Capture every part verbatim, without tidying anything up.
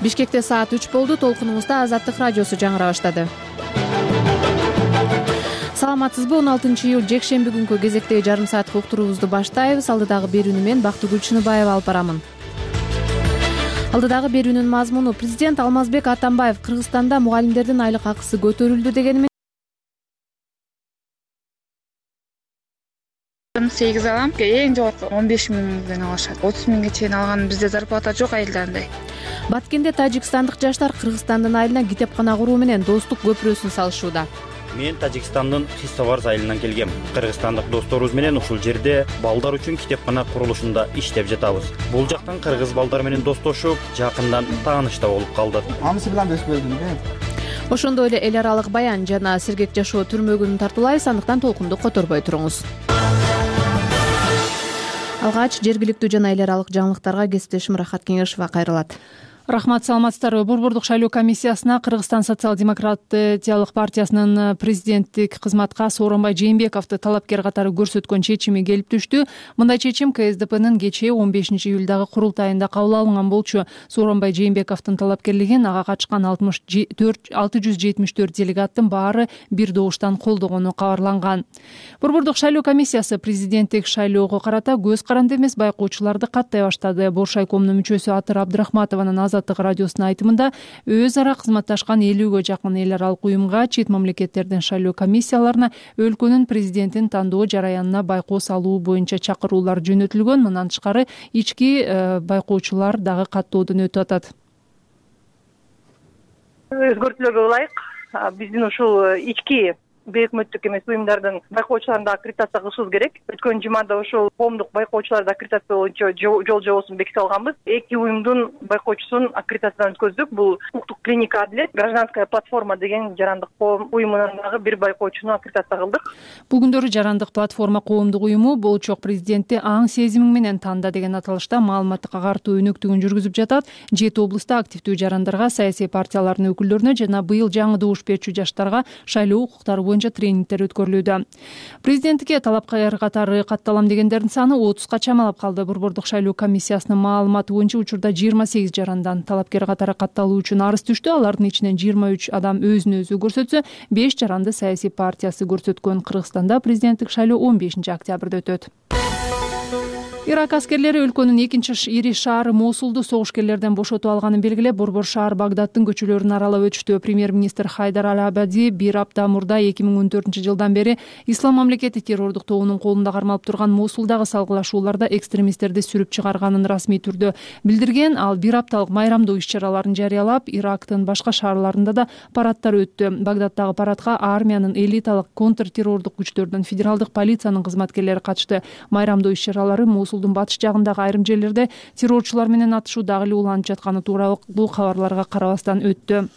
Бишкекте саат үч болду. Толкунубузда Азаттык радиосу жаңыра баштады. Саламатсызбы? он алтынчы июль жекшемби күнкү кезектеги жарым сааттык уктуруубузду баштайбыз. Алдыдагы берүүнү мен Бактыгүл Чыныбаева алып барамын. Алдыдагы берүүнүн мазмуну: президент Алмазбек Атамбаев Кыргызстанда мугалимдердин айлык акысы көтөрүлдү дегени сегиз алам. Эң жогорку он беш миңден алышат. отуз миңге чейин алган бизде зарплата жок айылда андай. Баткенде тажикстандык жаштар Кыргызстандын айылына китепкана куруу менен достук көпүрөсүн салышууда. Мен Тажикстандын Хиссоварз айылынан келгем. Кыргызстандык досторубуз менен ушул жерде балдар үчүн китепкана курулушунда иштеп жатабыз. Бул жактан кыргыз балдар менен достошуп, жакындан тааныш да болуп калдык. Анысы менен да өспөдүм да. Ошондой эле эл аралык баян жана сергек жашоо түрмөгүн тартуулайбыз. Андыктан толкунду которбой туруңуз. Алгач жергиликтүү жана эл аралык жаңылыктарга кесиптешим Рахат Кеңешова кайрылат. Рахмат, саламатсыздарбы? Борбордук шайлоо комиссиясына Кыргызстан социал-демократиялык партиясынын президенттик кызматка Сооронбай Жээнбековду талапкер катары көрсөткөн чечими келип түштү. Мындай чечим КСДПнын кечээ он бешинчи июлдагы курултайында кабыл алынган болчу. Сооронбай Жээнбековдун талапкерлигин ага катышкан алты жүз жетимиш төрт делегаттын баары бир добуштан колдогону кабарланган. Борбордук шайлоо комиссиясы президенттик шайлоого карата көз каранды эмес байкоочуларды каттай баштады. Боршайкомдун мүчөсү Атыр Абдрахматованын Азаттык радиосунун айтымында өз ара кызматташкан элүүгө жакын эл аралык уюмга, чет мамлекеттердин шайлоо комиссияларына өлкөнүн президентин тандоо жараянына байкоо салуу боюнча чакыруулар жөнөтүлгөн. Мындан тышкары ички байкоочулар дагы каттоодон өтүп атат. Өзгөртүүлөргө ылайык биздин ушул ички бейөкмөттүк эмес уюмдардын байкоочуларына аккредитация кылышыбыз керек. Өткөн жумада ошол коомдук байкоочуларды аккредитация боюнча жол жобосун беките алганбыз. Эки уюмдун байкоочусун аккредитациядан өткөздүк. Бул укуктук клиника Адилет, гражданская платформа деген жарандык коом уюмунан дагы бир байкоочуну аккредитация кылдык. Бул күндөрү жарандык платформа коомдук уюму болчок президентти аң сезимиң менен танда деген аталышта маалыматтык агартуу өнөктүгүн жүргүзүп жатат. Жети облустта активдүү жарандарга, саясий партиялардын өкүлдөрүнө жана быйыл жаңы добуш берчү жаштарга шайлоо укуктары боюнча тренингдер өткөрүлүүдө. Президенттикке талапкер катары катталам дегендердин саны отузга чамалап калды. Борбордук шайлоо комиссиясынын маалыматы боюнча учурда жыйырма сегиз жарандан талапкер катары катталуу үчүн арыз түштү. Алардын ичинен жыйырма үч адам өзүн өзү көрсөтсө, беш жаранды саясий партиясы көрсөткөн. Кыргызстанда президенттик шайлоо он бешинчи октябрда өтөт. Ирак аскерлери өлкөнүн экинчи ири шаары Мосулду согушкерлерден бошотуп алганын белгилеп, борбор шаар Багдадтын көчөлөрүн аралап өтүштү. Премьер-министр Хайдар Ал-Абади бир апта мурда эки миң он төртүнчү жылдан бери Ислам мамлекети террордук тобунун колунда кармалып турган Мосулдагы салгылашууларда экстремисттерди сүрүп чыгарганын расмий түрдө билдирген. Ал бир апталык майрамдоо иш-чараларын жарыялап, Ирактын башка шаарларында да парадтар өттү. Багдадтагы парадка армиянын элиталык контртеррордук күчтөрдүн, федералдык полициянын кызматкерлери катышты. Майрамдоо иш-чаралары Мосул батыш жагындагы айрым жерлерде террорчулар менен атышуу дагы эле уланып жатканы тууралуу кабарларга карабастан өттү.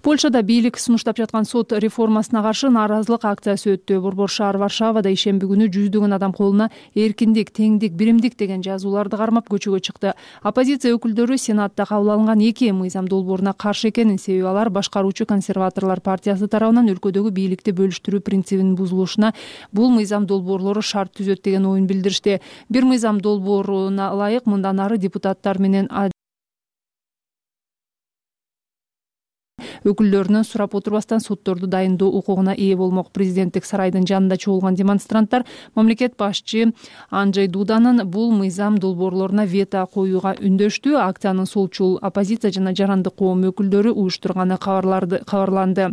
Польшада бийлик сунуштап жаткан сот реформасына каршы нааразылык акциясы өттү. Борбор шаар Варшавада ишемби күнү жүздөгөн адам колуна эркиндик, теңдик, биримдик деген жазууларды кармап көчөгө чыкты. Оппозиция өкүлдөрү Сенатта кабыл алынган эки мыйзам долбооруна каршы экенин, себеби алар башкаруучу консерваторлор партиясы тарабынан өлкөдөгү бийликти бөлүштүрүү принцибинин бузулушуна бул мыйзам долбоорлору шарт түзөт деген оюн билдиришти. Бир мыйзам долбооруна ылайык мындан ары депутаттар менен өкүлдөрүнөн сурап отурбастан сотторду дайындоо укугуна ээ болмок. Президенттик сарайдын жанында чогулган демонстранттар мамлекет башчы Анджей Дуданын бул мыйзам долбоорлоруна вето коюуга үндөштү. Акциянын солчул оппозиция жана жарандык коом өкүлдөрү уюштурганы кабарланды.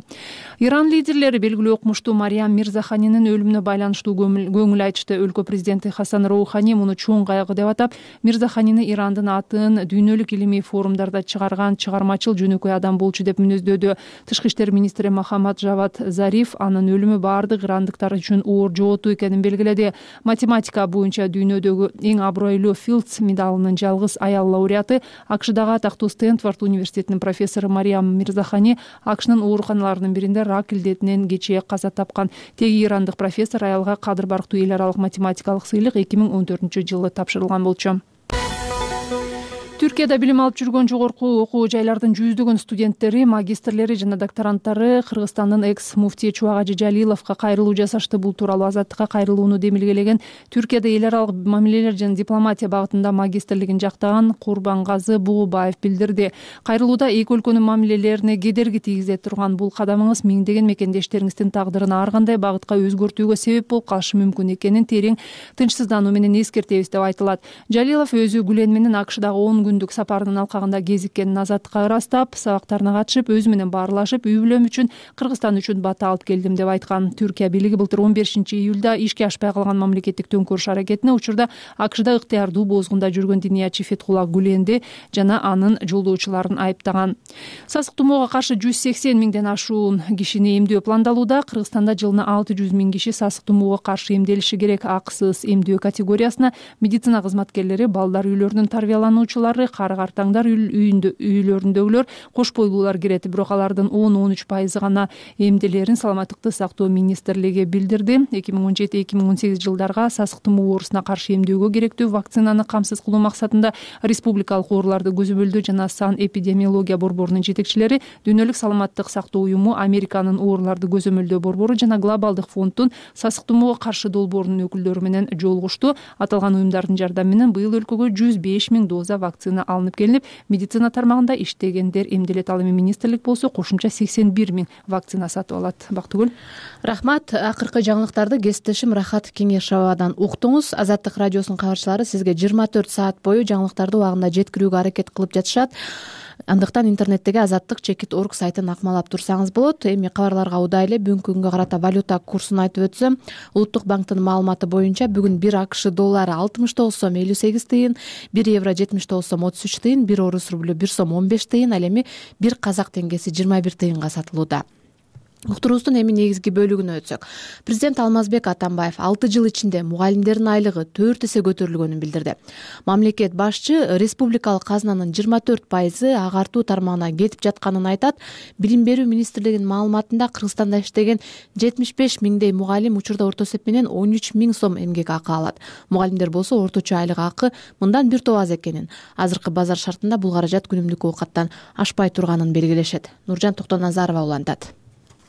Иран лидерлери белгилүү окумуштуу Мариям Мирзаханинин өлүмүнө байланыштуу көңүл айтышты. Өлкө президенти Хасан Роухани муну чоң кайгы деп атап, Мирзаханини Ирандын атын дүйнөлүк илимий форумдарда чыгарган чыгармачыл жөнөкөй адам болчу деп мүнөздөдү. Тышкы иштер министри Махамад Жавад Зариф анын өлүмү баардык ирандыктар үчүн оор жоготуу экенин белгиледи. Математика боюнча дүйнөдөгү эң абройлуу Филдс медалынын жалгыз аял лауреаты, АКШдагы атактуу Стэнфорд университетинин профессору Мариям Мирзахани АКШнын ооруканаларынын биринде рак илдетинен кечээ каза тапкан. Теги ирандык профессор аялга кадыр барктуу эл аралык математикалык сыйлык эки миң он төртүнчү жылы тапшырылган болчу. Түркияда билим алып жүргөн жогорку окуу жайлардын жүздөгөн студенттери, магистрлери жана докторанттары Кыргызстандын экс муфти Чубагажы Жалиловго кайрылуу жасашты. Бул тууралуу Азаттыкка кайрылууну демилгелеген Түркияда эл аралык мамилелер жана дипломатия багытында магистрлигин жактаган Курбангазы Бугубаев билдирди. Кайрылууда эки өлкөнүн мамилелерине кедерги тийгизе турган бул кадамыңыз миңдеген мекендештериңиздин тагдырын ар кандай багытка өзгөртүүгө себеп болуп калышы мүмкүн экенин терең тынчсыздануу менен эскертебиз деп айтылат. Жалилов өзү Гүлен менен АКШдагы он күндүк сапарынын алкагында кезиккенин Азаттыкка ырастап, сабактарына катышып, өзү менен баарлашып, үй бүлөм үчүн, Кыргызстан үчүн бата алып келдим деп айткан. Түркия бийлиги былтыр он бешинчи июлда ишке ашпай калган мамлекеттик төңкөрүш аракетине учурда АКШда ыктыярдуу боозгунда жүргөн диниячы Фетхулла Гүленди жана анын жолдоочуларын айыптаган. Сасык тумоого каршы жүз сексен миңден ашуун кишини эмдөө пландалууда. Кыргызстанда жылына алты жүз миң киши сасык тумоого каршы эмделиши керек. Акысыз эмдөө категориясына медицина кызматкерлери, балдар үйлөрүнүн тарбиялануучулары, кары картаңдар үйүндө үйлөрүндөгүлөр, кош бойлуулар кирет. Бирок алардын он он үч пайызы гана эмделерин Саламаттыкты сактоо министрлиги билдирди. эки миң он жети эки миң он сегиз жылдарга сасык тумоо оорусуна каршы эмдөөгө керектүү вакцинаны камсыз кылуу максатында республикалык ооруларды көзөмөлдөө жана сан эпидемиология борборунун жетекчилери, Дүйнөлүк саламаттык сактоо уюму, Американын ооруларды көзөмөлдөө борбору жана Глобалдык фонддун сасык тумоого каршы долбоорунун өкүлдөрү менен жолугушту. Аталган уюмдардын жардамы менен быйыл өлкөгө жүз беш миң доза вакцина алынып келинип, медицина тармагында иштегендер эмделет. Ал эми министрлик болсо кошумча сексен бир миң вакцина сатып алат. Бактыгүл. Рахмат. Акыркы жаңылыктарды кесиптешим Рахат Кеңешовадан уктуңуз. Азаттык радиосунун кабарчылары сизге жыйырма төрт саат бою жаңылыктарды убагында жеткирүүгө аракет кылып жатышат. Андыктан интернеттеги азаттык чекит точка орг сайтын акмалап турсаңыз болот. Эми кабарларга удай эле бүгүнкү күнгө карата валюта курсун айтып өтсөм, Улуттук банктын маалыматы боюнча бүгүн бир АКШ доллары алтымыш тогуз сом элүү сегиз тыйын, бир евро жетимиш тогуз сом отуз үч тыйын, бир орус рублю бир сом он беш тыйын, ал эми бир казак теңгеси жыйырма бир тыйынга сатылууда. Уктуруубуздун эми негизги бөлүгүнө өтсөк. Президент Алмазбек Атамбаев алты жыл ичинде мугалимдердин айлыгы төрт эсе көтөрүлгөнүн билдирди. Мамлекет башчы республикалык казынанын жыйырма төрт пайызы агартуу тармагына кетип жатканын айтат. Билим берүү министрлигинин маалыматында Кыргызстанда иштеген жетимиш беш миңдей мугалим учурда орто эсеп менен он үч миң сом эмгек акы алат. Мугалимдер болсо орточо айлык акы мындан бир топ аз экенин, азыркы базар шартында бул каражат күнүмдүк оокаттан ашпай турганын белгилешет. Нуржан Токтоназарова улантат.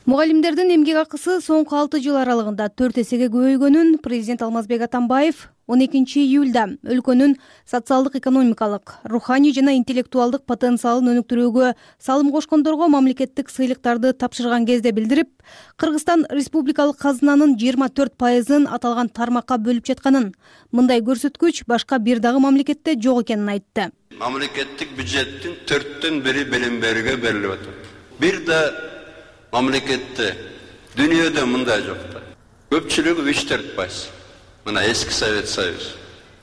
Мугалимдердин эмгек акысы соңку алты жыл аралыгында төрт эсеге көбөйгөнүн президент Алмазбек Атамбаев он экинчи июлда өлкөнүн социалдык, экономикалык, руханий жана интеллектуалдык потенциалын өнүктүрүүгө салым кошкондорго мамлекеттик сыйлыктарды тапшырган кезде билдирип, Кыргызстан республикалык казынанын жыйырма төрт пайызын аталган тармакка бөлүп жатканын, мындай көрсөткүч башка бир дагы мамлекетте жок экенин айтты. Мамлекеттик бюджеттин төрттөн бири билим берүүгө берилип атат. Бир да мамлекетте, дүйнөдө мындай жок да. Көпчүлүгү үч төрт пайыз. Мына эски Совет Союз,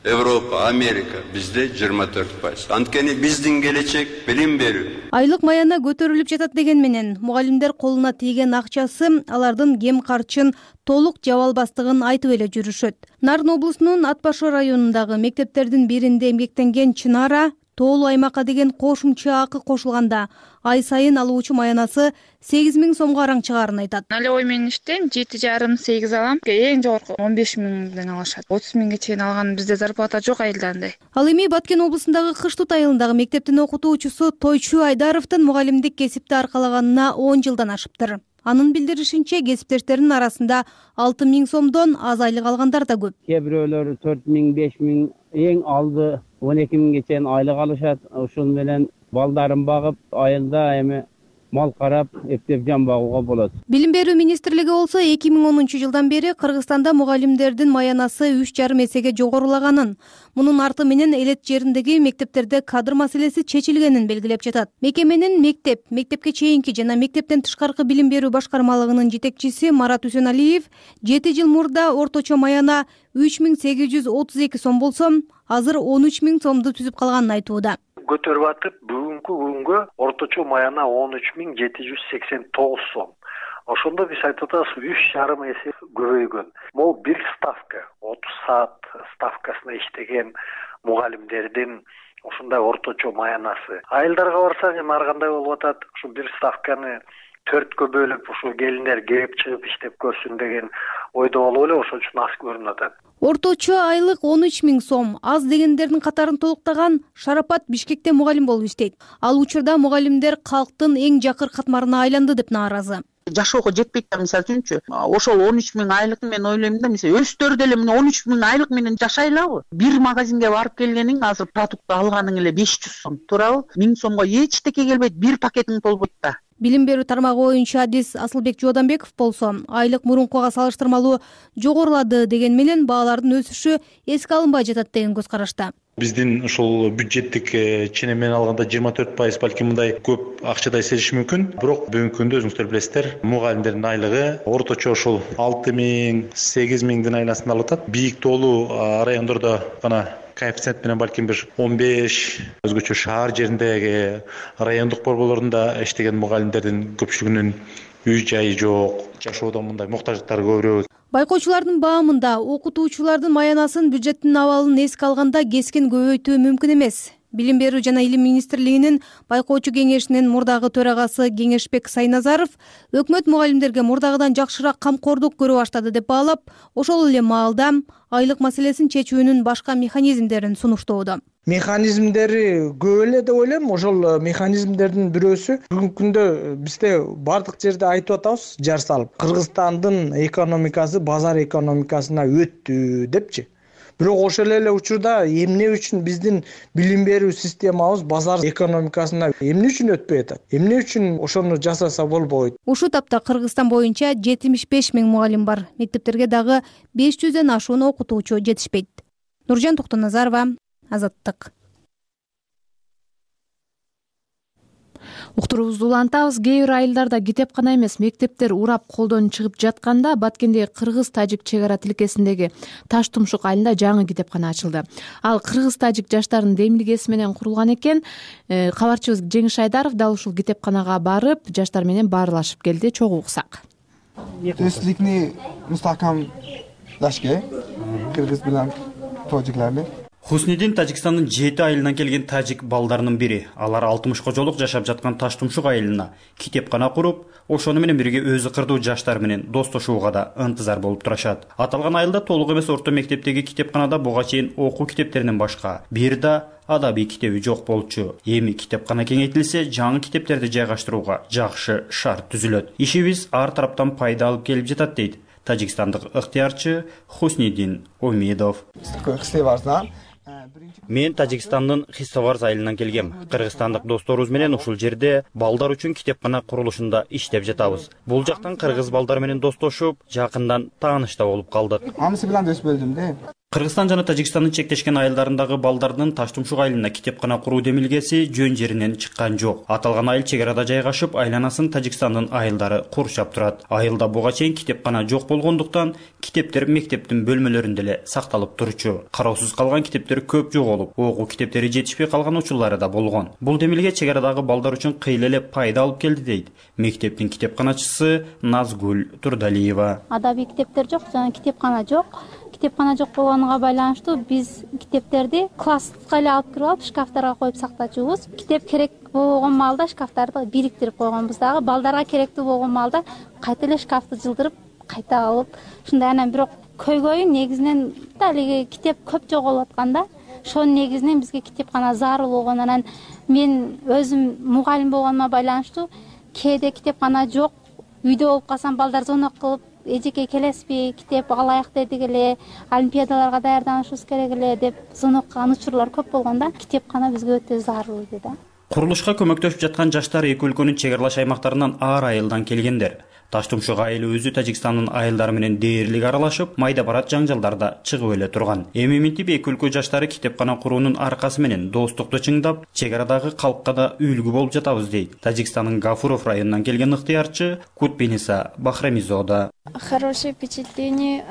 Европа, Америка, бизде жыйырма төрт пайыз. Анткени биздин келечек билим берүү. Айлык маяна көтөрүлүп жатат деген менен мугалимдер колуна тийген акчасы алардын кем карчын толук жаба албастыгын айтып эле жүрүшөт. Нарын облусунун Ат Башы районундагы мектептердин биринде эмгектенген Чынара тоолуу аймакка деген кошумча акы кошулганда ай сайын алуучу маянасы сегиз миң сомго араңчыгаарын айтат. Налевой менен иштейм, жети жарым сегиз алам. Эң жогорку он беш миңден алышат. отуз миңге чейин алган бизде зарплата жок айылда андай. Ал эми Баткен облусундагы Кыштут айылындагы мектептин окутуучусу Тойчу Айдаровдун мугалимдик кесипти аркалаганына он жылдан ашыптыр. Анын билдиришинче, кесиптештеринин арасында алты миң сомдон аз айлык алгандар да көп. Кээ бирөөлөр төрт миң, беш миң, эң алды он эки миңге чейин айлык алышат. Ошол менен балдарын багып, айылда эми мал карап, эптеп жан багууга болот. Билим берүү министрлиги болсо эки миң онунчу жылдан бери Кыргызстанда мугалимдердин маянасы үч жарым эсеге жогорулаганын, мунун арты менен элет жериндеги мектептерде кадр маселеси чечилгенин белгилеп жатат. Мекеменин мектеп, мектепке чейинки жана мектептен тышкаркы билим берүү башкармалыгынын жетекчиси Марат Үсеналиев жети жыл мурда орточо маяна үч миң сегиз жүз отуз эки сом болсо, азыр он үч миң сомду түзүп калганын айтууда. Көтөрүп атып, бүгүнкү күнгө орточо маяна он үч миң жети жүз сексен тогуз сом. Ошондо биз айтып атабыз үч жарым эсе көбөйгөн. Могу бир ставка, отуз саат ставкасына иштеген мугалимдердин ошондой орточо маянасы. Айылдарга барсаң эми ар кандай болуп атат. Ушу бир ставканы төрткө бөлүп ушу келиндер кирип чыгып иштеп көрсүн деген ойдо болуп эле ошон үчүн аз көрүнүп атат. Орточо айлык он үч миң сом. Аз дегендердин катарын толуктаган Шарапат Бишкекте мугалим болуп иштейт. Ал учурда мугалимдер калктын эң жакыр катмарына айланды деп нааразы. Жашоого жетпейт да, мисалы үчүнчү. Ошол он үч миң айлык мен ойлойм да, мисалы өстөр деле мына он үч миң айлык менен жашайлабы? Бир магазинге барып келгениң азыр продукт алганың эле беш жүз сом, туурабы? миң сомго эчтеке келбейт, бир пакетиң толбойт да. Билим берүү тармагы боюнча адис Асылбек Жооданбеков болсо, айлык мурункуга салыштырмалуу жогорулады деген менен баалардын өсүшү эске алынбай жатат деген көз карашта. Биздин ушул бюджеттик ченем менен алганда жыйырма төрт пайыз балким мындай көп акчадай сезиши мүмкүн. Бирок бүгүнкү күндө өзүңүздөр билесиздер, мугалимдердин айлыгы орточо ушул алты миң, сегиз миңдин айласында алып атат. Бийик тоолуу райондордо гана коэффициент менен балким бир он беш, өзгөчө шаар жериндеги райондук борборлорунда иштеген мугалимдердин көпчүлүгүнүн үй жайы жок, жашоодо мындай муктаждыктары көбүрөөк. Байкоочулардын баамында окутуучулардын маянасын, бюджеттин абалын эске алганда кескен көбөйтүү мүмкүн эмес. Билим берүү жана илим министрлигинин байкоочу кеңешинин мурдагы төрагасы Кеңешбек Сайназаров өкмөт мугалимдерге мурдагыдан жакшыраак камкордук көрө баштады деп баалап, ошол эле маалда айлык маселесин чечүүнүн башка механизмдерин сунуштоодо. Механизмдери көп эле деп ойлойм. Ошол механизмдердин бирөөсү бүгүнкү күндө бизде бардык жерде айтып атабыз, жар салып, Кыргызстандын экономикасы базар экономикасына өттү депчи. Бирок ошол эле учурда эмне үчүн биздин билим берүү системабыз базар экономикасына эмне үчүн өтпөй атат? Эмне үчүн ошону жасаса болбойт? Ушул тапта Кыргызстан боюнча жетимиш беш миң мугалим бар. Мектептерге дагы беш жүздөн ашуун окутуучу жетишпейт. Нуржан Токтоназарова, Азаттык. Уктуруубузду улантабыз. Кээ бир айылдарда китепкана эмес, мектептер урап колдон чыгып жатканда Баткендеги кыргыз-тажик чек ара тилкесиндеги Таш Тумшук айылында жаңы китепкана ачылды. Ал кыргыз-тажик жаштардын демилгеси менен курулган экен. Кабарчыбыз Жеңиш Айдаров дал ушул китепканага барып, жаштар менен баарлашып келди. Чогуу уксак. Тестликни мустакам дашке кыргыз менен тажикларны. Хуснидин Тажикстандын жети айылынан келген тажик балдарынын бири. Алар алтымышка жолук жашап жаткан Таш Тумшук айылына китепкана куруп, ошону менен бирге өзү кырдуу жаштар менен достошууга да ынтызар болуп турушат. Аталган айылда толук эмес орто мектептеги китепканада буга чейин окуу китептеринен башка бир да адабий китеби жок болчу. Эми китепкана кеңейтилсе, жаңы китептерди жайгаштырууга жакшы шарт түзүлөт. Ишибиз ар тараптан пайда алып келип жатат дейт тажикстандык ыктыярчы Хуснидин Омедов. Мен Тажикстандын Хиссоварз айылынан келгем. Кыргызстандык досторубуз менен ушул жерде балдар үчүн китепкана курулушунда иштеп жатабыз. Бул жактан кыргыз балдар менен достошуп, жакындан тааныш да болуп калдык. Амысы менен дос болдум да. Кыргызстан жана Тажикстандын чектешкен айылдарындагы балдардын Таш Тумшук айылына китепкана куруу демилгеси жөн жеринен чыккан жок. Аталган айыл чек арада жайгашып, айланасын Тажикстандын айылдары курчап турат. Айылда буга чейин китепкана жок болгондуктан китептер мектептин бөлмөлөрүндө эле сакталып турчу. Кароосуз калган китептер көп жоголуп, окуу китептери жетишпей калган учурлары да болгон. Бул демилге чек арадагы балдар үчүн кыйла эле пайда алып келди дейт мектептин китепканачысы Назгүл Турдалиева. Адабий китептер жок, жана китепкана жок. Китепкана жок болгонуга байланыштуу биз китептерди класска эле алып кирип алып, шкафтарга коюп сактачубуз. Китеп керек болгон маалда шкафтарды бириктирип койгонбуз дагы. Балдарга керектүү болгон маалда кайта эле шкафты жылдырып, кайта алып, ушундай. Анан бирок көйгөйү негизинен далеги китеп көп жоголуп атканда, ошонун негизинен бизге китепкана зарыл болгон. Анан мен өзүм мугалим болгонума байланыштуу кээде китепкана жок, үйдө болуп калсам балдар звонок кылып, эжеке келесизби, китеп алайык дедик эле, олимпиадаларга даярданышыбыз керек эле деп звонок кылган учурлар көп болгонда, китепкана бизге өтө зарыл иди да. Курулушка көмөктөшүп жаткан жаштар эки өлкөнүн чек аралаш аймактарынан ар айылдан келгендер. Таш Тумшук айылы өзү Тажикстандын айылдары менен дээрлик аралашып, майда барат жаңжалдарда чыгып эле турган. Эми минтип эки өлкө жаштары китепкана куруунун аркасы менен достукту чыңдап, чек арадагы калкка да үлгү болуп жатабыз дейт Тажикстандын Гафуров районунан келген ыктыярчы Кутбениса Бахрамизода. Хорошее впечатление.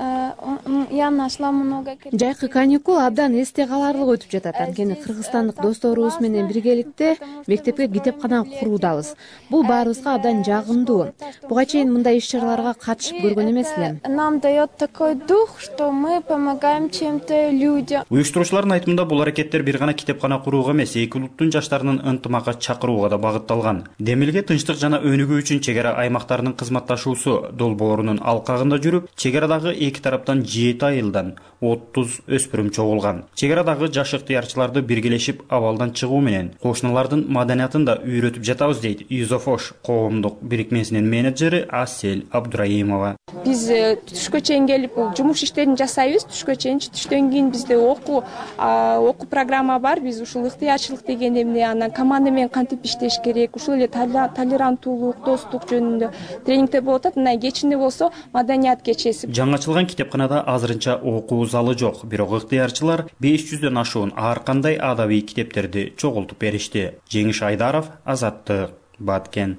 Я нашла много. Жайкы каникул абдан эсте каларлык өтүп жатат. Анткени кыргызстандык досторубуз менен биргеликте мектепке китепкана куруудабыз. Бул баарыбызга абдан жагымдуу. Буга чейин сайын мындай иш чараларга катышып көргөн эмес элем. Нам дает такой дух, что мы помогаем чем-то людям. Уюштуруучулардын айтымында бул аракеттер бир гана китепкана курууга эмес, эки улуттун жаштарынын ынтымакка чакырууга да багытталган. Демилге тынчтык жана өнүгүү үчүн чек ара аймактарынын кызматташуусу долбоорунун алкагында жүрүп, чек арадагы эки тараптан жети айылдан отуз өспүрүм чогулган. Чек арадагы жаш ыктыярчыларды биргелешип абалдан чыгуу менен кошуналардын маданиятын да үйрөтүп жатабыз дейт Юзофош коомдук бирикмесинин менеджери Асель Абдураимова. Биз түшкө чейин келип жумуш иштерин жасайбыз. Түшкө чейин, түштөн кийин бизде окуу окуу программа бар. Биз ушул ыктыярчылык деген эмне, анан команда менен кантип иштеш керек, ушул эле толеранттуулук, достук жөнүндө тренингдер болуп атат. Мына кечинде болсо маданият кечеси. Жаңачылган китепканада азырынча окуу залы жок, бирок ыктыярчылар беш жүздөн ашуун ар кандай адабий китептерди чогултуп беришти. Жеңиш Айдаров, Азаттык, Баткен.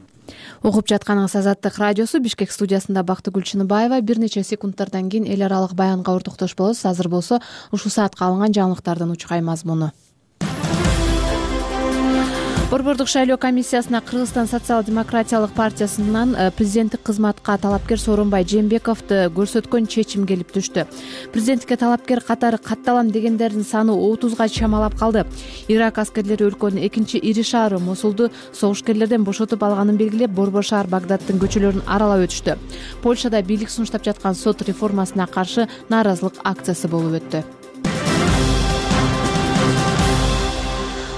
Угуп жатканыңыз Азаттык радиосу. Бишкек студиясында Бактыгүл Чыныбаева. Бир нече секундтардан кийин эл аралык баянга ортоктош болобуз. Азыр болсо ушул саатка алынган жаңылыктардын учкай мазмуну. Борбордук шайлоо комиссиясына Кыргызстан социал-демократиялык партиясынан президенттик кызматка талапкер Сооронбай Жээнбековду көрсөткөн чечим келип түштү. Президенттикке талапкер катары катталам дегендердин саны отузга чамалап калды. Ирак аскерлери өлкөнүн экинчи ири шаары Мосулду согушкерлерден бошотуп алганын белгилеп, Борбор шаар Багдадтын көчөлөрүн аралап өтүштү. Польшада бийлик сунуштап жаткан сот реформасына каршы нааразылык акциясы болуп өттү.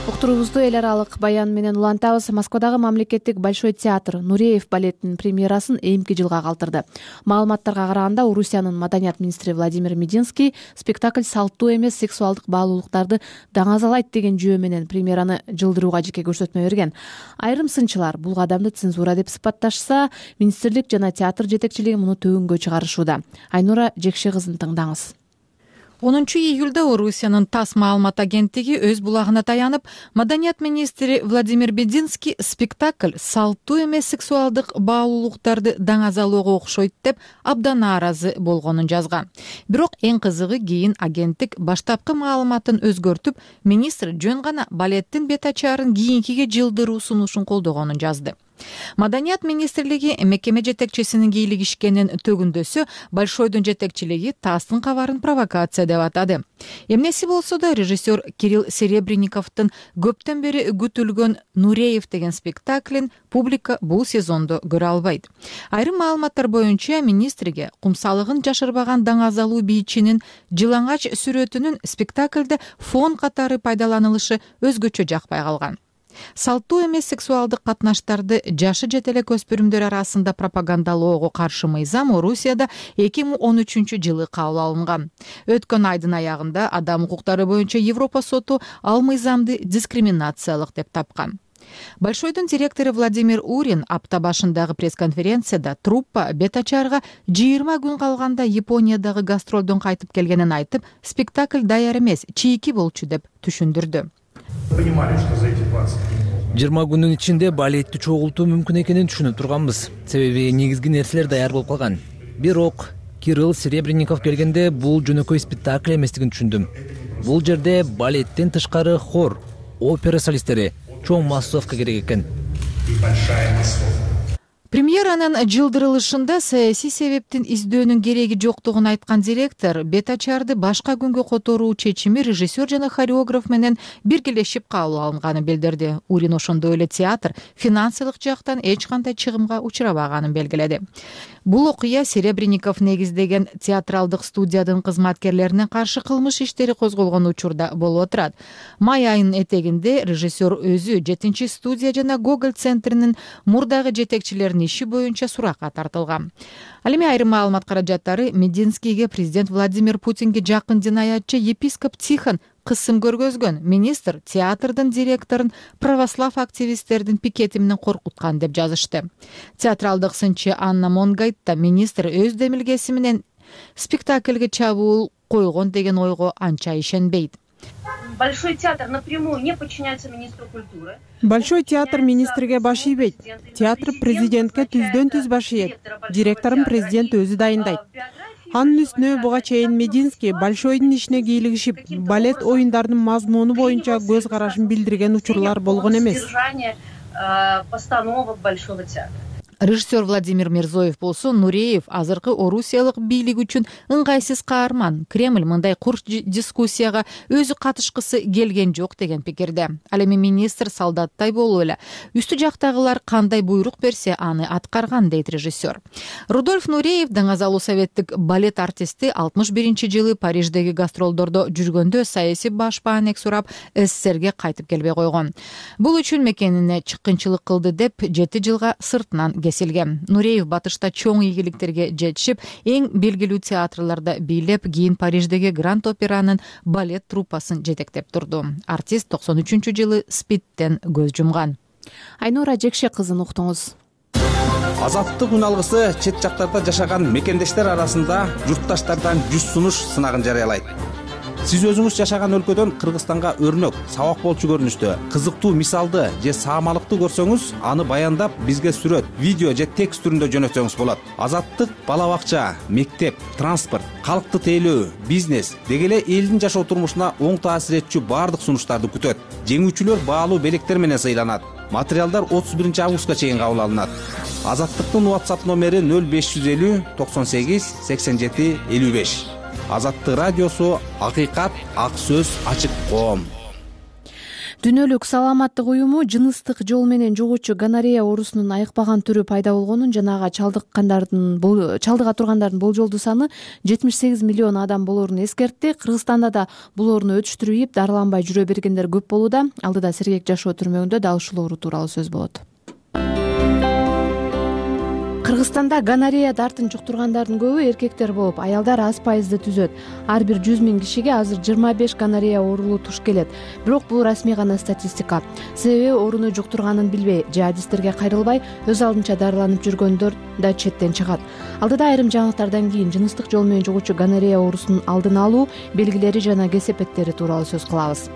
Уктуруубузду эл аралык баян менен улантабыз. Москвадагы мамлекеттик Большой театр Нуреев балетинин премьерасын эмки жылга калтырды. Маалыматтарга караганда, Орусиянын маданият министри Владимир Мединский спектакль салттуу эмес сексуалдык баалуулуктарды даңазалайт деген жөө менен премьераны жылдырууга жеке көрсөтмө берген. Айрым сынчылар бул кадамды цензура деп сыпатташса, министрлик жана театр жетекчилиги муну төгүнгө чыгарышууда. Айнура Жекше кызын тыңдаңыз. онунчу июлда Орусиянын ТАСС маалымат агенттиги өз булагына таянып, маданият министри Владимир Мединский спектакль салттуу эмес сексуалдык баалуулуктарды даңазалоого окшойт деп абдан нааразы болгонун жазган. Бирок эң кызыгы, кийин агенттик баштапкы маалыматын өзгөртүп, министр жөн гана балеттин бет ачаарын кийинкиге жылдыруу сунушун колдогонун жазды. Маданият министрлиги мекеме жетекчисинин кийлигишкенин төгүндөсү Большойдун жетекчилиги ТАССтын кабарын провокация деп атады. Эмнеси болсо да, режиссер Кирилл Серебренниковдун көптөн бери күтүлгөн Нуреев деген спектаклин публика бул сезондо көрө албайт. Айрым маалыматтар боюнча, министрге кумсалыгын жашырбаган даңазалуу бийчинин жылаңач сүрөтүнүн спектаклде фон катары пайдаланылышы өзгөчө жакпай калган. Салттуу эмес сексуалдык катнаштарды жашы жете элек өспүрүмдөр арасында пропагандалоого каршы мыйзам Орусияда эки миң он үчүнчү жылы кабыл алынган. Өткөн айдын аягында Адам укуктары боюнча Европа соту ал мыйзамды дискриминациялык деп тапкан. Большойдун директору Владимир Урин апта башындагы пресс-конференцияда труппа бет ачарга жыйырма күн калганда Япониядагы гастролдон кайтып келгенин айтып, спектакль даяр эмес, чийки болчу деп түшүндүрдү. жыйырма күнүн ичинде балетти чогултуу мүмкүн экенин түшүнүп турганбыз. Себеби негизги нерселер даяр болуп калган. Бирок Кирилл Серебренников келгенде бул жөнөкөй спектакль эместигин түшүндүм. Бул жерде балеттен тышкары хор, опера солисттери, чоң массовка керек экен. Премьеранын жылдырылышында саясий себептин издөөнүн кереги жоктугун айткан директор бет ачарды башка күнгө которуу чечими режиссер жана хореограф менен биргелешип кабыл алынганын билдирди. Урин ошондой эле театр финансылык жактан эч кандай чыгымга учурабаганын белгиледи. Бул окуя Серебренников негиздеген театралдык студиянын кызматкерлерине каршы кылмыш иштери козголгон учурда болуп отурат. Май айынын этегинде режиссер өзү жетинчи студия жана Гоголь центринин мурдагы жетекчилеринин иши боюнча суракка тартылган. Ал эми айрым маалымат каражаттары Мединскийге президент Владимир Путинге жакын динаятчы епископ Тихон кысым көргөзгөн. Министр театрдын директорун православ активисттердин пикети менен коркуткан деп жазышты. Театралдык сынчы Анна Монгайт да министр өз демилгеси менен спектакльге чабуул койгон деген ойго анча ишенбейт. Большой театр напрямую не подчиняется министру культуры. Большой театр министрге баш ийбейт. Театр президентке түздөн түз баш ийет. Директорун президент өзү дайындайт. Анын үстүнө буга чейин Мединский Большойдун ишине кийлигишип, балет оюндарынын мазмуну боюнча көз карашын билдирген учурлар болгон эмес. Постановок Большого театра. Режиссер Владимир Мирзоев болсо Нуреев азыркы орусиялык бийлик үчүн ыңгайсыз каарман, Кремль мындай курч дискуссияга өзү катышкысы келген жок деген пикирде. Ал эми министр солдаттай болуп эле үстү жактагылар кандай буйрук берсе аны аткарган, дейт режиссер. Рудольф Нуреев даңазалуу советтик балет артисти алтымыш биринчи жылы Париждеги гастролдордо жүргөндө саясий баш баанек сурап СССРге кайтып келбей койгон. Бул үчүн мекенине чыккынчылык кылды деп жети жылга сыртынан кесилген. Нуреев батышта чоң ийгиликтерге жетишип, эң белгилүү театрларда бийлеп, кийин Париждеги Гранд Операнын балет труппасын жетектеп турду. Артист токсон үчүнчү жылы СПИДтен көз жумган. Айнура Жекше кызын уктуңуз. Азаттык үн алгысы чет жактарда жашаган мекендештер арасында журтташтардан жүз сунуш сынагын жарыялайт. Сиз өзүңүз жашаган өлкөдөн Кыргызстанга өрнөк, сабак болчу көрүнүштө кызыктуу мисалды же саамалыкты көрсөңүз, аны баяндап бизге сүрөт, видео же текст түрүндө жөнөтсөңүз болот. Азаттык бала бакча, мектеп, транспорт, калкты тейлөө, бизнес деги эле элдин жашоо турмушуна оң таасир этчү баардык сунуштарды күтөт. Жеңүүчүлөр баалуу белектер менен сыйланат. Материалдар отуз биринчи августка чейин кабыл алынат. Азаттыктын WhatsApp номери нөл беш жүз элүү токсон сегиз сексен жети элүү беш. Азаттык радиосу, акыйкат, ак сөз, ачык коом. Дүйнөлүк саламаттык уюму жыныстык жол менен жугуучу гонорея оорусунун айыкпаган түрү пайда болгонун жана ага чалдыккандардын чалдыга тургандардын болжолдуу саны жетимиш сегиз миллион адам болоорун эскертти. Кыргызстанда да бул ооруну өчүштүрүп, дарыланбай жүрө бергендер көп болууда. Алдыда сергек жашоо түрмөгүндө дал ушул оору тууралуу сөз болот. Кыргызстанда гонорея дартын жуктургандардын көбү эркектер болуп, аялдар аз пайызды түзөт. Ар бир жүз миң кишиге азыр жыйырма беш гонорея оорулуу туш келет. Бирок бул расмий гана статистика. Себеби ооруну жуктурганын билбей же адистерге кайрылбай өз алдынча дарыланып жүргөндөр да четтен чыгат. Алдыда айрым жаңылыктардан кийин жыныстык жол менен жугуучу гонорея оорусунун алдын алуу белгилери жана кесепеттери тууралуу сөз кылабыз.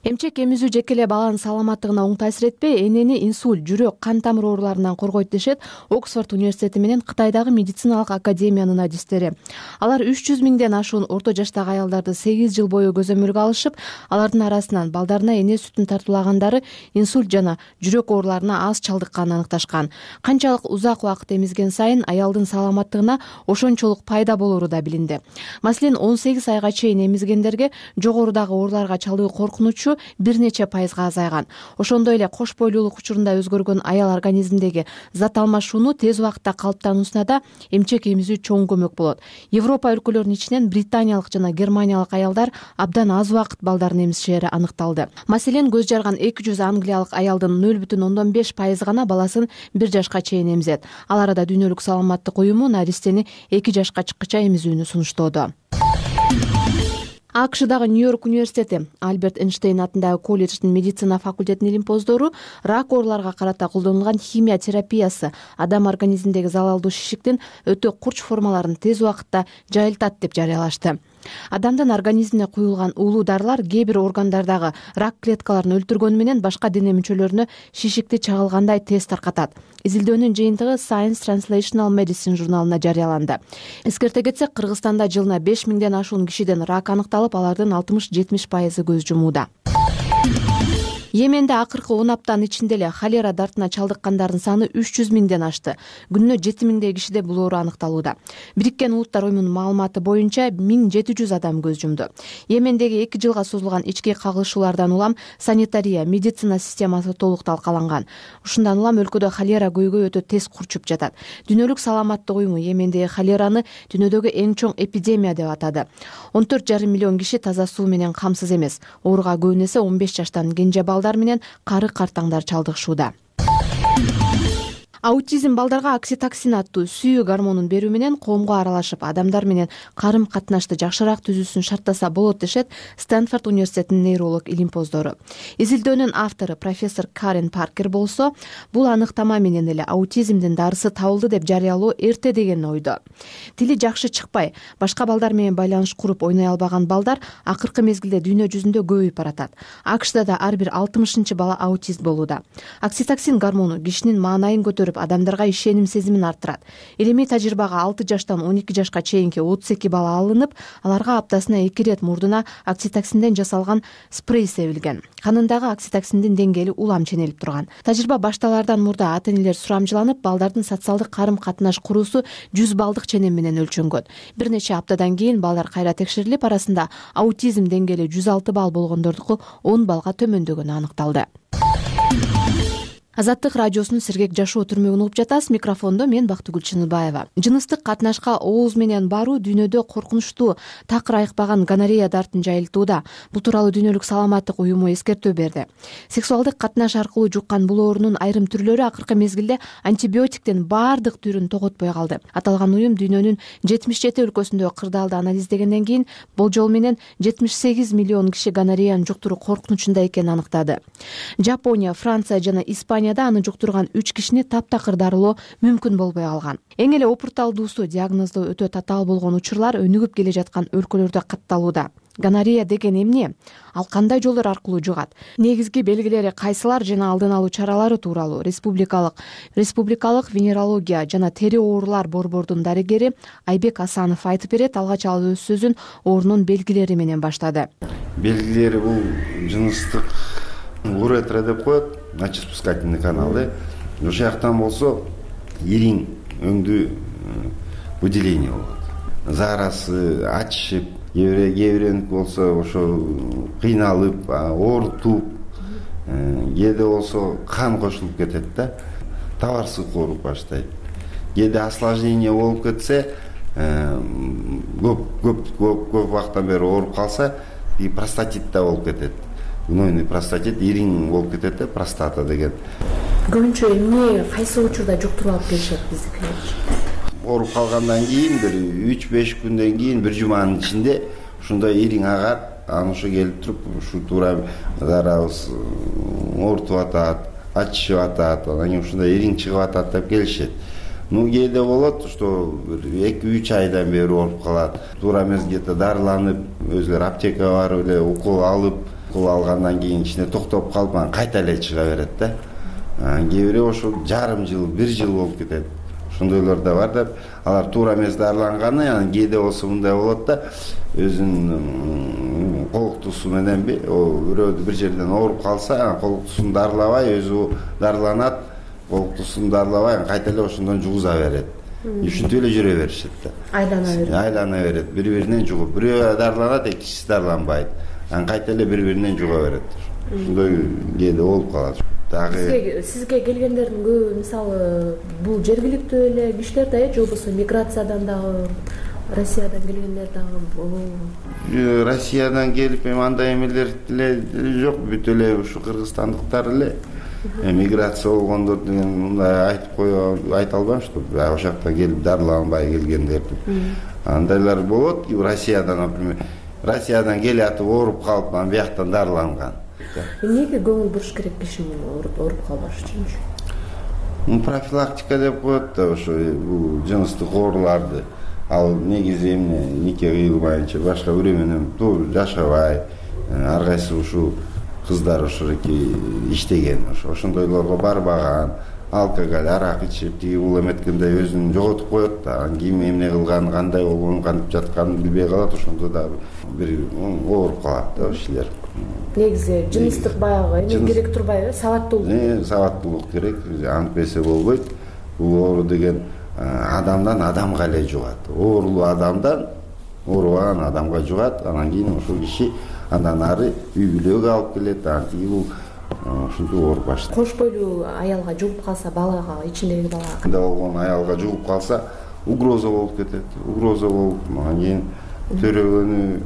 Эмчек эмизүү жеке эле баланын саламаттыгына оң таасир этпей, энени инсульт, жүрөк, кан тамыр ооруларынан коргойт дешет Оксфорд университети менен Кытайдагы медициналык академиянын адистери. Алар үч жүз миңден ашуун орто жаштагы аялдарды сегиз жыл бою көзөмөлгө алышып, алардын арасынан балдарына эне сүтүн тартуулагандары инсульт жана жүрөк ооруларына аз чалдыкканын аныкташкан. Канчалык узак убакыт эмизген сайын аялдын саламаттыгына ошончолук пайда болору да билинди. Маселен, он сегиз айга чейин эмизгендерге жогорудагы ооруларга чалдыгуу коркунучу бир нече пайызга азайган. Ошондой эле кош бойлуулук учурунда өзгөргөн аял организминдеги зат алмашууну тез убакытта калыптануусуна да эмчек эмизүү чоң көмөк болот. Европа өлкөлөрүнүн ичинен британиялык жана германиялык аялдар абдан аз убакыт балдарын эмизишери аныкталды. Маселен, көз жарган эки жүз англиялык аялдын нөл бүтүн ондон беш пайызы гана баласын бир жашка чейин эмизет. Ал арада Дүйнөлүк саламаттык уюму наристени эки жашка чыккыча эмизүүнү сунуштоодо. АКШдагы Нью-Йорк университети Альберт Эйнштейн атындагы колледждин медицина факультетинин илимпоздору рак ооруларга карата колдонулган химия терапиясы адам организминдеги залалдуу шишиктин өтө курч формаларын тез убакытта жайылтат деп жарыялашты. Адамдын организмине куюлган уулуу дарылар кээ бир органдардагы рак клеткаларын өлтүргөнү менен башка дене мүчөлөрүнө шишикти чагылгандай тез таркатат. Изилдөөнүн жыйынтыгы Science Translational Medicine журналына жарыяланды. Эскерте кетсек, Кыргызстанда жылына беш миңден ашуун кишиден рак аныкталып, алардын алтымыш жетимиш пайызы көз жумууда. Йеменде акыркы он аптанын ичинде эле холера дартына чалдыккандардын саны үч жүз миңден ашты. Күнүнө жети миңдей кишиде бул оору аныкталууда. Бириккен Улуттар уюмунун маалыматы боюнча миң жети жүз адам көз жумду. Йемендеги эки жылга созулган ички кагылышуулардан улам санитария, медицина системасы толук талкаланган. Ушундан улам өлкөдө холера көйгөй өтө тез курчуп жатат. Дүйнөлүк саламаттык уюму Йемендеги холераны дүйнөдөгү эң чоң эпидемия деп атады. он төрт жарым миллион киши таза суу менен камсыз эмес. Ооруга көбүн эсе он беш жаштан кенже балдар менен кары картаңдар чалдыгышууда. Аутизм балдарга окситоксин аттуу сүйүү гормонун берүү менен коомго аралашып, адамдар менен карым катнашты жакшыраак түзүүсүн шарттаса болот дешет Стэнфорд университетинин нейролог илимпоздору. Изилдөөнүн автору профессор Карен Паркер болсо, бул аныктама менен эле аутизмдин дарысы табылды деп жарыялоо эрте деген ойдо. Тили жакшы чыкпай, башка балдар менен байланыш куруп ойной албаган балдар акыркы мезгилде дүйнө жүзүндө көбөйүп баратат. АКШда да ар бир алтымышынчы бала аутист болууда. Окситоксин гормону кишинин маанайын көтөрүп көрүп адамдарга ишеним сезимин арттырат. Илимий тажрыйбага алты жаштан он эки жашка чейинки отуз эки бала алынып, аларга аптасына эки ирет мурдуна окситоксинден жасалган спрей себилген. Канындагы окситоксиндин деңгээли улам ченелип турган. Тажрыйба башталаардан мурда ата-энелер сурамжыланып, балдардын социалдык карым-катнаш куруусу жүз балдык ченем менен өлчөнгөн. Бир нече аптадан кийин балдар кайра текшерилип, арасында аутизм деңгээли жүз алты балл болгондордуку он балга төмөндөгөнү аныкталды. Азаттык радиосунун сергек жашоо түрмөгүн угуп жатасыз. Микрофондо мен Бактыгүл Чыныбаева. Жыныстык катнашка ооз менен баруу дүйнөдө коркунучтуу такыр айыкпаган гонорея дартын жайылтууда. Бул тууралуу Дүйнөлүк саламаттык уюму эскертүү берди. Сексуалдык катнаш аркылуу жуккан бул оорунун айрым түрлөрү акыркы мезгилде антибиотиктин баардык түрүн тоготпой калды. Аталган уюм дүйнөнүн жетимиш жети өлкөсүндөгү кырдаалды анализдегенден кийин болжол менен жетимиш сегиз миллион киши гонореяны жуктуруу коркунучунда экенин аныктады. Жапония, Франция жана Испания аны жуктурган үч кишини таптакыр дарылоо мүмкүн болбой калган. Эң эле опурталдуусу диагноздоо өтө татаал болгон учурлар өнүгүп келе жаткан өлкөлөрдө катталууда. Гонорея деген эмне? Ал кандай жолдор аркылуу жугат? Негизги белгилери кайсылар жана алдын алуу чаралары тууралуу республикалык республикалык венерология жана тери оорулар борбордун дарыгери Айбек Асанов айтып берет. Алгач ал өз сөзүн оорунун белгилери менен баштады. Белгилери бул жыныстык уретра деп коет, мочеспускательный канал, да? Ошол жактан болсо ириң өңдүү выделение болот. Зарасы ачышып, кээ болсо ошо кыйналып, оорутуп, кээде болсо кан кошулуп кетет да, табарсыз ооруп баштайт. Кээде осложнение болуп кетсе, көп көп көп көп убакыттан бери ооруп калса, и простатит да болуп кетет. Гнойный простатит, ириң болуп кетет да, простата деген. Көбүнчө эмне кайсы учурда жуктуруп алып келишет биздикилер? Ооруп калгандан кийин бир үч беш күндөн кийин бир жуманын ичинде ушундай ириң агат, аны ошо келип туруп, ушу туура зарабыз оорутуп атат, ачышып атат, анан кийин ушундай ириң чыгып атат деп келишет. Ну, кээде болот, что эки үч айдан бери ооруп калат. Туура мезгилде дарыланып, өзүлөр аптекага барып эле укол алып, укол алгандан кийин ичине токтоп калып, анан кайта эле чыга берет да. Кээ бирөө ошо жарым жыл, бир жыл болуп кетет. Ошондойлор да бар деп, алар туура эмес дарыланганы, анан кээде болсо мындай болот да, өзүнүн колуктуусу мененби, бирөө бир жерден ооруп калса, колуктуусун дарылабай, өзү дарыланат, колуктуусун дарылабай, кайта эле ошондон жугуза берет. Ушинтип эле жүрө беришет да. Айлана берет. Айлана берет, бири-биринен жугуп, бирөө дарыланат, экинчиси дарыланбайт. Анан кайта эле бири-биринен жуга берет. Ошондой кээде болуп калат. Сизге сизге келгендердин көбү мисалы бул жергиликтүү эле кишилер да, же болбосо миграциядан дагы, Россиядан келгендер дагы? Россиядан келип эми андай эмелер деле жок, бүт эле ушу кыргызстандыктар эле. Миграция болгондор деген мындай айтып кое айта албайм, что ошол жактан келип дарыланбай келгендер деп. Андайлар болот, Россиядан, например, Россиядан келатып ооруп калып, анан бияктан дарыланган. Эмнеге көңүл буруш керек кишинин ооруп калбаш үчүнчү? Ну, профилактика деп коет да, ошо бул жыныстык ооруларды. Ал негизи эмне, нике кыйылбайынча, башка бирөө менен туура жашабай, ар кайсы ушу кыздар ошоки иштеген, ошондойлорго барбаган, алкоголь, арак ичип, тиги бул эметкендей өзүн жоготуп коет да, анан ким эмне кылган, кандай болгонун, кантип жатканын билбей калат, ошондо да бир ооруп калат да кишилер. Негизи жыныстык баягы эме керек турбайбы? Сабаттуулук. Э, сабаттуулук керек, антпесе болбойт. Бул оору деген адамдан адамга эле жугат. Оорулуу адамдан оорубаган адамга жугат, анан кийин ошол киши андан ары үй бүлөгө алып келет, анан тиги бул ушинтип ооруп баштайт. Кош бойлуу аялга жугуп калса, балага, ичиндеги балага кандай болгон аялга жугуп калса, угроза болуп кетет. Угроза болуп, анан кийин төрөгөнү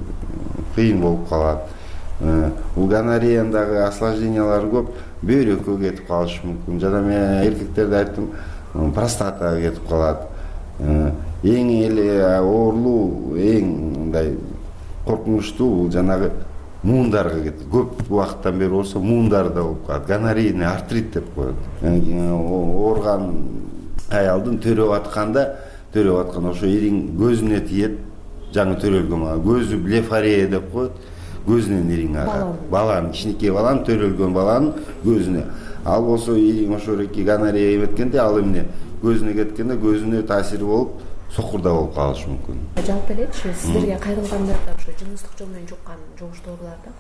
кыйын болуп калат. Бул гонореяндагы осложнениялары көп, бөйрөккө кетип калышы мүмкүн. Жана мен эркектерде айттым, простатага кетип калат. Эң эле оорулуу, эң мындай коркунучтуу бул жанагы муундарга кетет. Көп убакыттан бери болсо муундарда болуп калат. Гонорейный артрит деп коет. Оорган аялдын төрөп атканда, төрөп атканда ошо ириң көзүнө тиет, жаңы төрөлгөн көзү блефарея деп коет. көзүнөн ириң ага баланын кичинекей баланын төрөлгөн баланын көзүнө. Ал болсо ириң ошоки гонорея эметкенде ал эмне көзүнө кеткенде көзүнө таасири болуп сокурда болуп калышы мүмкүн. Жалпы элечи сиздерге кайрылгандарда ошо жыныстык жол менен жуккан жугуштоолор да?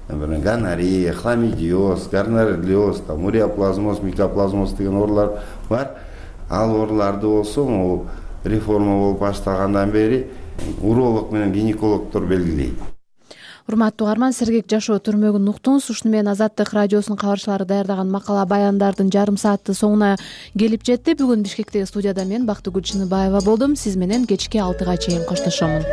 Гонорея, хламидиоз, гонореоз, уреоплазмоз, микоплазмоз деген оорулар бар. Ал ооруларды болсо могу реформа болуп башталгандан бери уролог менен гинекологдор белгилейт. Урматтуу угарман, сергек жашоо түрмөгүн уктуңуз. Ушуну менен Азаттык радиосунун кабарчылары даярдаган макала баяндардын жарым сааты соңуна келип жетти. Бүгүн Бишкектеги студияда мен Бактыгүл Чыныбаева болдум. Сиз менен кечки алтыга чейин коштошомун.